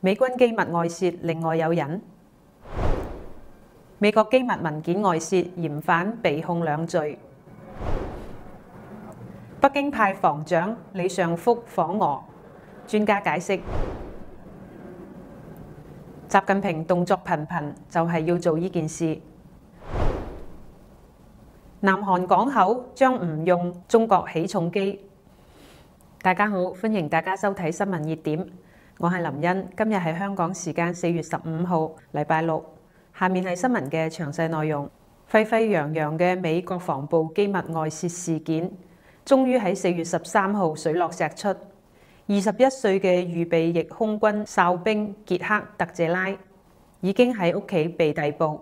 美軍機密外泄，另外有人。美國機密文件外泄，嫌犯被控2罪。北京派防長李尚福訪俄，專家解釋，習近平動作頻頻，就係要做呢件事。南韓港口將唔用中國起重機。大家好，歡迎大家收睇新聞熱點，我係林茵。今日係香港時間4月15號，禮拜六。下面係新聞嘅詳細內容。沸沸揚揚嘅美國防部機密外泄事件，終於喺4月13號水落石出。21歲嘅預備役空軍哨兵傑克特謝拉已經喺屋企被逮捕。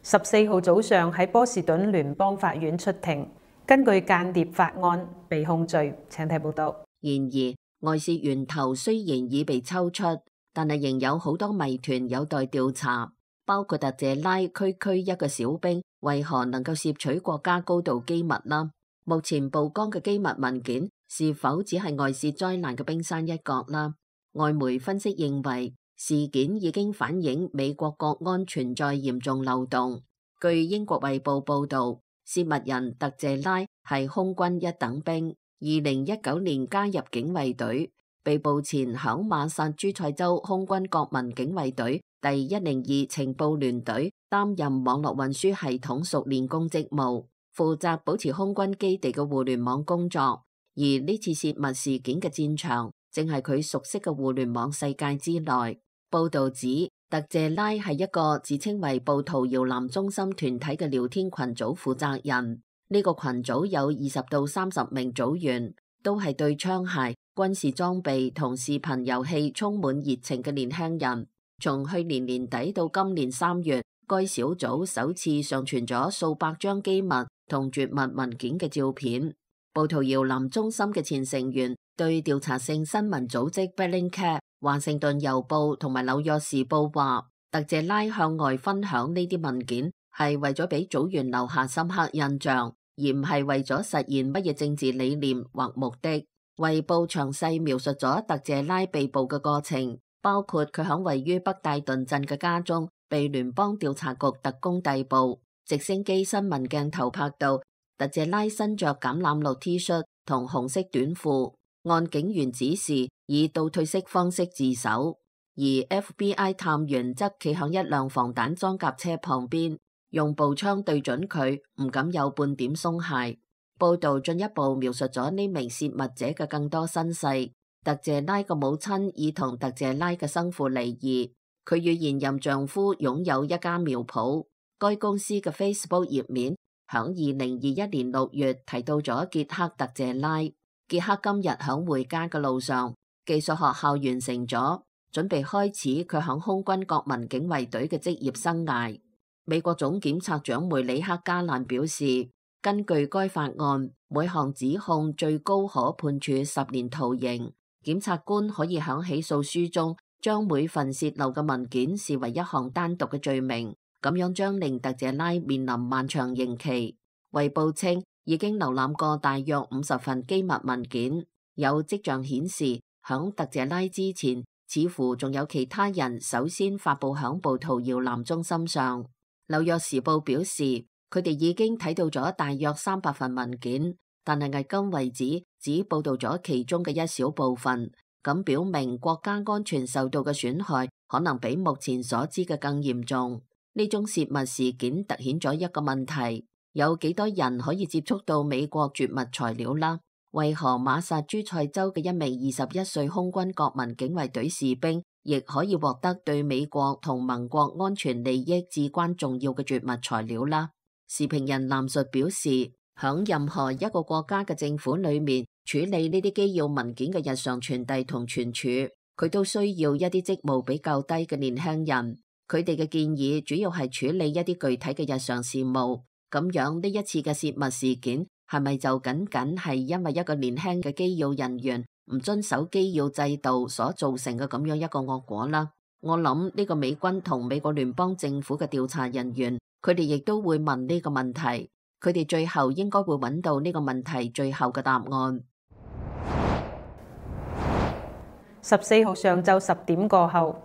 14號早上喺波士頓聯邦法院出庭，根據間諜法案被控罪。請睇報道。然而，外泄源頭雖然已被抽出，但係仍有好多謎團有待調查，包括特謝拉區一個小兵為何能夠竊取國家高度機密啦？目前曝光嘅機密文件是否只係外泄災難嘅冰山一角啦？外媒分析認為，事件已經反映美國國安存在嚴重漏洞。據英國衛報報導，洩密人特謝拉係空軍一等兵，2019年加入警衛隊，被捕前響馬薩諸塞州空軍國民警衛隊第102情報聯隊擔任網絡運輸系統熟練工職務，負責保持空軍基地嘅互聯網工作。而呢次洩密事件嘅戰場，正係佢熟悉嘅互聯網世界之內。報道指，特謝拉係一個自稱為暴徒搖籃中心團體嘅聊天群組負責人。呢個群組有20到30名組員，都係對槍械、軍事裝備同視頻遊戲充滿熱情嘅年輕人。從去年年底到今年3月，該小組首次上傳咗數百張機密同絕密文件嘅照片。暴徒搖籃中心嘅前成員對調查性新聞組織 Bellingcat、華盛頓郵報同埋紐約時報話，特謝拉向外分享呢啲文件係為咗俾組員留下深刻印象，而唔係為咗實現乜嘢政治理念或目的。衛報詳細描述咗特謝拉被捕嘅過程，包括佢響位於北戴頓鎮嘅家中被聯邦調查局特工逮捕。直升機新聞鏡頭拍到特謝拉身着橄欖綠 T 恤同紅色短褲，按警員指示以倒退式方式自首。而 FBI 探員則企響一輛防彈裝甲車旁邊，用步槍對準佢，唔敢有半點鬆懈。報道進一步描述咗呢名洩密者嘅更多身世。特謝拉嘅母親已同特謝拉嘅生父離異，佢與現任丈夫擁有一家苗圃。該公司嘅 Facebook 頁面響2021年6月提到咗傑克特謝拉。傑克今日響回家嘅路上，技術學校完成咗，準備開始佢響空軍國民警衛隊嘅職業生涯。美國總檢察長梅里克加蘭表示，根據該法案，每項指控最高可判處10年徒刑。檢察官可以響起訴書中將每份洩漏嘅文件視為一項單獨嘅罪名，咁樣將令特謝拉面臨漫長刑期。衛報稱已經瀏覽過大約50份機密文件，有跡象顯示響特謝拉之前，似乎仲有其他人首先發佈響暴徒搖籃中心上。紐約時報表示，佢哋已經睇到咗大約300份文件，但係迄今為止只報道咗其中嘅一小部分，咁表明國家安全受到嘅損害可能比目前所知嘅更嚴重。呢種洩密事件凸顯咗一個問題：有幾多人可以接觸到美國絕密材料啦？為何馬薩諸塞州嘅一名21歲空軍國民警衛隊士兵亦可以獲得對美國同盟國安全利益至關重要嘅絕密材料啦？時評人藍述表示，響任何一個國家嘅政府裏面處理呢啲機要文件嘅日常傳遞同存儲，佢都需要一啲職務比較低嘅年輕人。佢哋嘅建議主要係處理一啲具體嘅日常事務。咁樣呢一次嘅洩密事件係咪就僅僅係因為一個年輕嘅機要人員唔遵守機要制度所造成嘅咁樣一個惡果啦？我諗呢個美軍同美國聯邦政府嘅調查人員，佢哋亦都會問呢個問題，佢哋最後應該會揾到呢個問題最後嘅答案。14號上晝10點過後，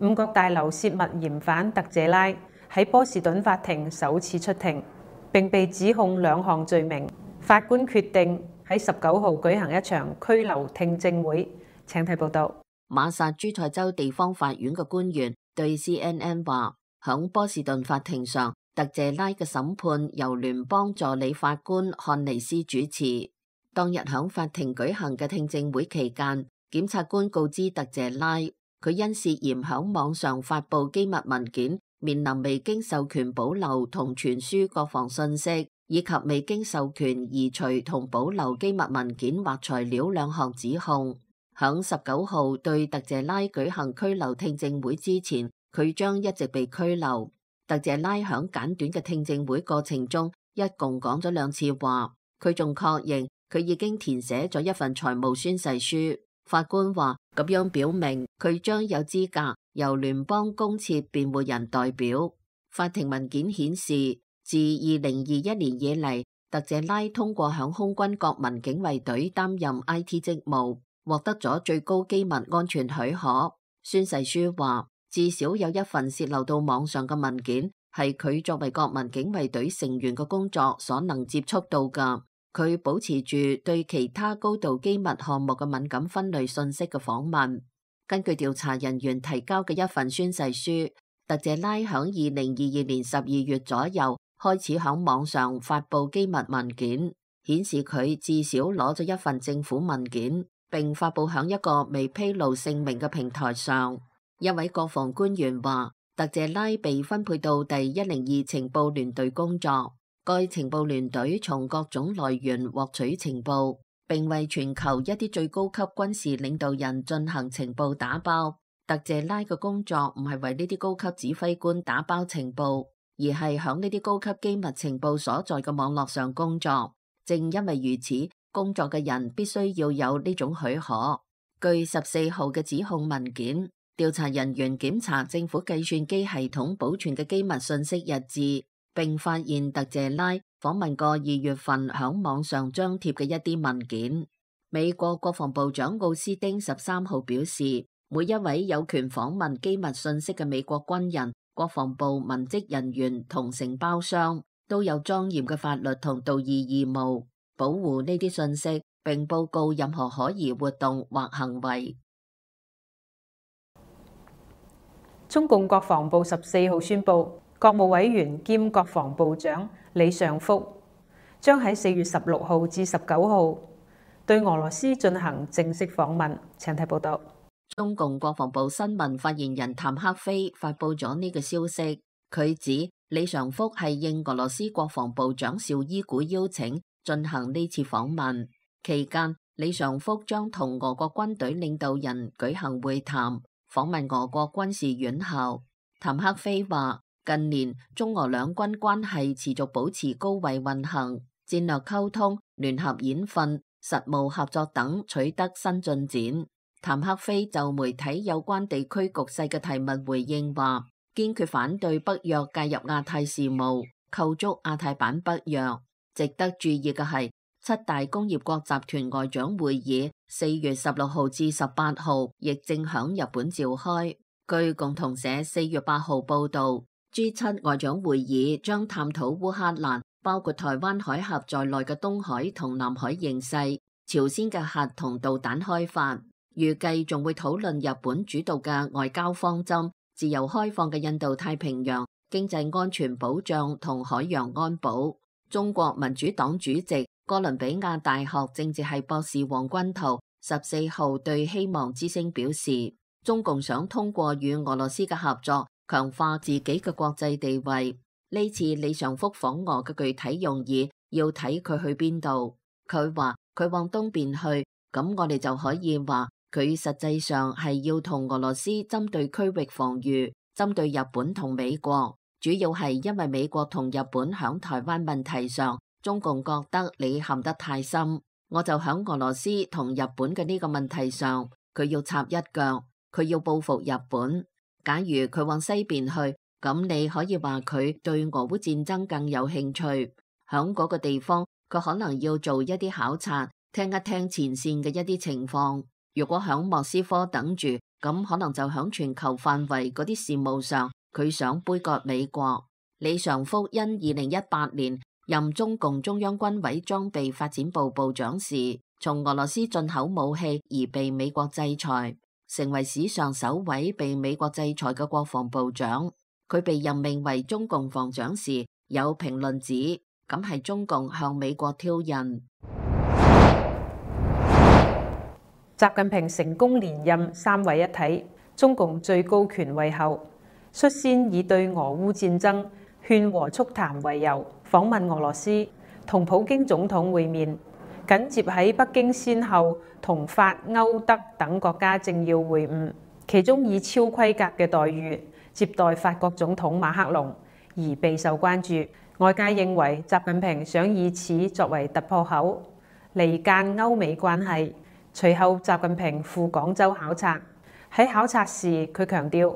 五角大樓泄密嫌犯特謝拉喺波士頓法庭首次出庭，並被指控2項罪名。法官決定喺19號舉行一場拘留聽證會。請睇報道。馬薩諸塞州地方法院嘅官員對 CNN 話，響波士頓法庭上，特謝拉嘅審判由聯邦助理法官漢尼斯主持。當日響法庭舉行嘅聽證會期間，檢察官告知特謝拉，佢因涉嫌響網上發布機密文件，面臨未經授權保留同傳輸國防信息，以及未經授權移除同保留機密文件或材料2項指控。響19號對特謝拉舉行拘留聽證會之前，佢將一直被拘留。特謝拉響簡短嘅聽證會過程中，一共講咗2次話。佢仲確認佢已經填寫咗一份財務宣誓書。法官話咁樣表明佢將有資格由聯邦公設辯護人代表。法庭文件顯示，自2021年以嚟，特謝拉通過響空軍國民警衛隊擔任 IT 職務，獲得咗最高機密安全許可。宣誓書話，至少有一份洩漏到網上嘅文件係佢作為國民警衛隊成員嘅工作所能接觸到㗎。佢保持住對其他高度機密項目嘅敏感分類信息嘅訪問。根據調查人員提交嘅一份宣誓書，特謝拉響2022年12月左右開始響網上發布機密文件，顯示佢至少攞咗一份政府文件，並發布響一個未披露姓名嘅平台上。一位國防官員話，特謝拉被分配到第102情報聯隊工作，該情報聯隊從各種來源獲取情報，並為全球一啲最高級軍事領導人進行情報打包。特謝拉嘅工作唔係為呢啲高級指揮官打包情報，而係響呢啲高級機密情報所在嘅網絡上工作。正因為如此，工作嘅人必須要有呢種許可。據14號嘅指控文件，調查人員檢查政府計算機系統保存嘅機密信息日誌，並發現特謝拉訪問過2月份響網上張貼嘅一啲文件。美國國防部長奧斯汀13號表示，每一位有權訪問機密信息嘅美國軍人、國防部文職人員同承包商都有莊嚴嘅法律同道義義務，保護呢啲信息，並報告任何可疑活動或行為。中共國防部14號宣布，國務委員兼國防部長李尚福將喺4月16號至19號對俄羅斯進行正式訪問。請睇報道。中共國防部新聞發言人譚克非發布咗呢個消息，佢指李尚福係應俄羅斯國防部長紹伊古邀請進行呢次訪問，期間李尚福將同俄國軍隊領導人舉行會談，訪問俄國軍事院校。譚克非話，近年中俄兩軍關係持續保持高位運行，戰略溝通、聯合演訓、實務合作等取得新進展。譚克非就媒體有關地區局勢嘅提問回應話，堅決反對北約介入亞太事務，構築亞太版北約。值得注意嘅係，7大工業國集團外長會議4月16號至18號亦正響日本召開。據共同社4月8號報道，G7外長會議將探討烏克蘭包括台灣海峽在內嘅東海同南海形勢，朝鮮嘅核同導彈開發。預計仲會討論日本主導嘅外交方針、自由開放嘅印度太平洋、經濟安全保障同海洋安保。中國民主黨主席、哥倫比亞大學政治系博士黃君濤14號對希望之聲表示，中共想通過與俄羅斯嘅合作，強化自己嘅國際地位。呢次李尚福訪俄嘅具體用意，要睇佢去邊度。佢話佢往東邊去，咁我哋就可以話，佢實際上係要同俄羅斯針對區域防禦，針對日本同美國，主要係因為美國同日本響台灣問題上，中共覺得你陷得太深，我就響俄羅斯同日本嘅呢個問題上，佢要插一腳，佢要報復日本。假如佢往西邊去，咁你可以話佢對俄烏戰爭更有興趣，響嗰個地方佢可能要做一啲考察，聽一聽前線嘅一啲情況。如果響莫斯科等住，咁可能就響全球範圍嗰啲事務上，佢想杯葛美國。李尚福因2018年任中共中央軍委裝備發展部部長時，從俄羅斯進口武器而被美國制裁，成為史上首位被美國制裁嘅國防部長。佢被任命為中共防長時，有評論指咁係中共向美國挑釁。習近平成功連任三位一體，中共最高權位後，率先以對俄烏戰爭勸和促談為由訪問俄羅斯，同普京總統會面。緊接喺北京先後同法、歐、德等國家政要會晤，其中以超規格嘅待遇接待法國總統馬克龍而備受關注。外界認為習近平想以此作為突破口，離間歐美關係。隨後習近平赴廣州考察，喺考察時佢強調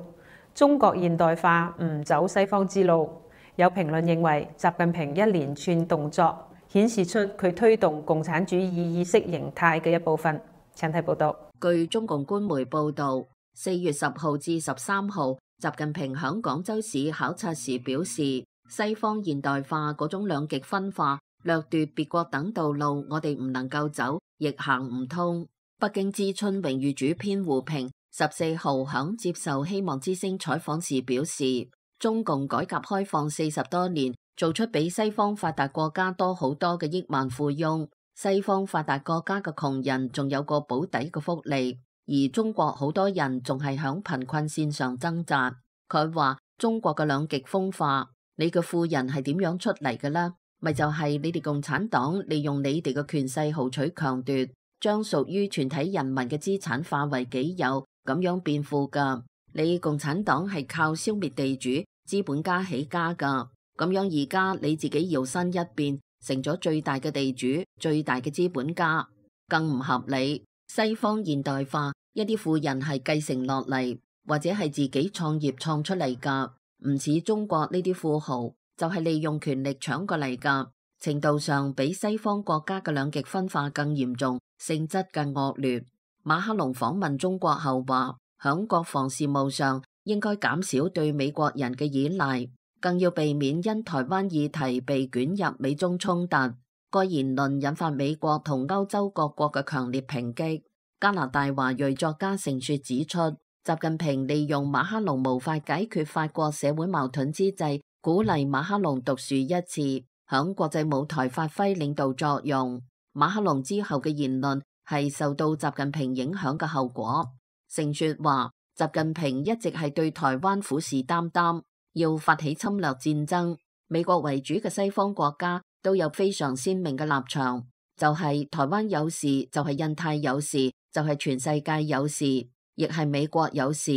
中國現代化唔走西方之路。有評論認為習近平一連串動作顯示出佢推動共產主義意識形態嘅一部分。請睇報道。據中共官媒報導，4月10號至13號，習近平響廣州市考察時表示，西方現代化嗰種兩極分化、掠奪別國等道路，我哋唔能夠走，亦行唔通。北京知春榮譽主編胡平14號響接受希望之聲採訪時表示，中共改革開放40多年，做出比西方發達國家多好多嘅億萬富翁。西方發達國家嘅窮人仲有個保底嘅福利，而中國好多人仲係響貧困線上掙扎。佢話中國嘅兩極分化，你嘅富人係點樣出嚟嘅呢？咪就係你哋共產黨利用你哋嘅權勢豪取強奪，將屬於全體人民嘅資產化為己有，咁樣變富噶。你共產黨係靠消滅地主資本家起家噶，咁樣而家你自己搖身一變，成咗最大嘅地主、最大嘅資本家，更唔合理。西方現代化，一啲富人係繼承落嚟，或者係自己創業創出嚟噶，唔似中國呢啲富豪就係利用權力搶過嚟噶，程度上比西方國家嘅兩極分化更嚴重，性質更惡劣。馬克龍訪問中國後話，響國防事務上應該減少對美國人嘅依賴，更要避免因台灣議題被捲入美中衝突。該言論引發美國同歐洲各國嘅強烈抨擊。加拿大華裔作家盛雪指出，習近平利用馬克龍無法解決法國社會矛盾之際，鼓勵馬克龍獨樹一幟，響國際舞台發揮領導作用。馬克龍之後嘅言論係受到習近平影響嘅後果。盛雪話，習近平一直係對台灣虎視眈眈，要發起侵略戰爭。美國為主嘅西方國家都有非常鮮明嘅立場，就係台灣有事，就係印太有事，就係全世界有事，亦係美國有事。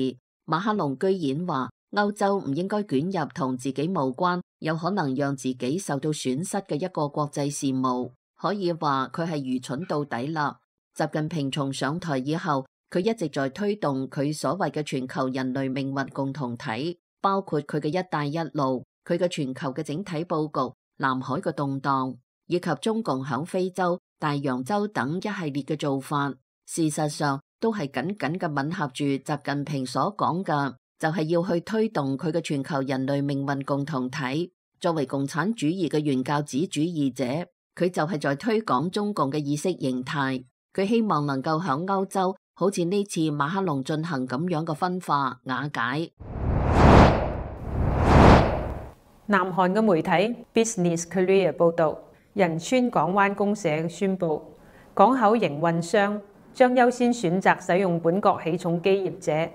馬克龍居然話歐洲唔應該捲入同自己無關，有可能讓自己受到損失嘅一個國際事務，可以話佢係愚蠢到底啦。習近平從上台以後，佢一直在推動佢所謂嘅全球人類命運共同體，包括佢嘅一帶一路，佢嘅全球嘅整體佈局，南海嘅動盪，以及中共響非洲、大洋洲等一系列嘅做法，事實上都係緊緊嘅吻合住習近平所講嘅，就係要去推動佢嘅全球人類命運共同體。作為共產主義嘅原教旨主義者，佢就係在推廣中共嘅意識形態。佢希望能夠響歐洲好似呢次馬克龍進行咁樣嘅分化瓦解。南韓嘅媒體 Business Korea 報導，仁川港灣公社宣布，港口營運商將優先選擇使用本國起重機業者，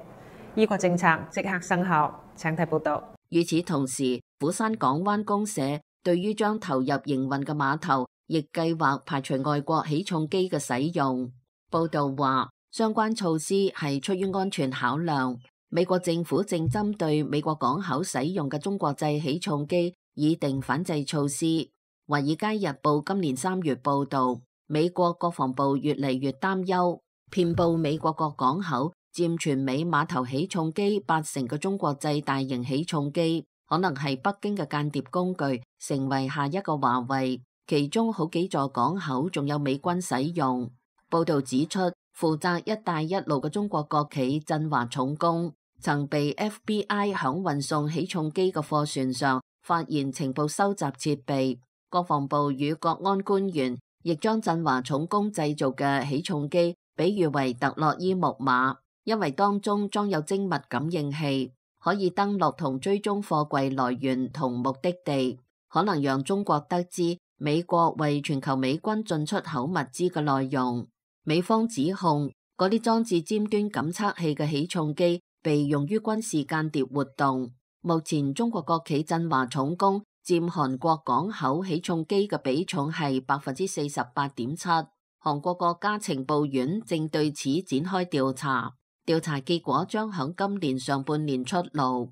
呢個政策即刻生效。請睇報導。與此同時，釜山港灣公社對於將投入營運嘅碼頭，亦計劃排除外國起重機嘅使用。報道話，相關措施係出於安全考量。美國政府正針對美國港口使用嘅中國製起重機擬定反制措施。華爾街日報今年3月報道，美國國防部越嚟越擔憂，遍佈美國各港口、佔全美碼頭起重機80%嘅中國製大型起重機，可能係北京嘅間諜工具，成為下一個華為。其中好幾座港口仲有美軍使用。報道指出，負責一帶一路嘅中國國企振華重工曾被 FBI 響運送起重機嘅貨船上發現情報收集設備。國防部與國安官員亦將振華重工製造嘅起重機比喻為特洛伊木馬，因為當中裝有精密感應器，可以登錄同追蹤貨櫃來源同目的地，可能讓中國得知美國為全球美軍進出口物資嘅內容。美方指控嗰啲裝置尖端感測器嘅起重機被用於軍事間諜活動。目前中國國企振華重工佔韓國港口起重機嘅比重係48.7%。韓國國家情報院正對此展開調查，調查結果將響今年上半年出爐。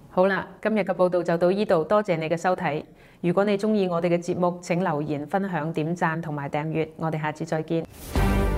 好啦，今日嘅報道就到呢度，多謝你嘅收睇。如果你鍾意我哋嘅節目，請留言、分享、點讚同埋訂閱。我哋下次再見。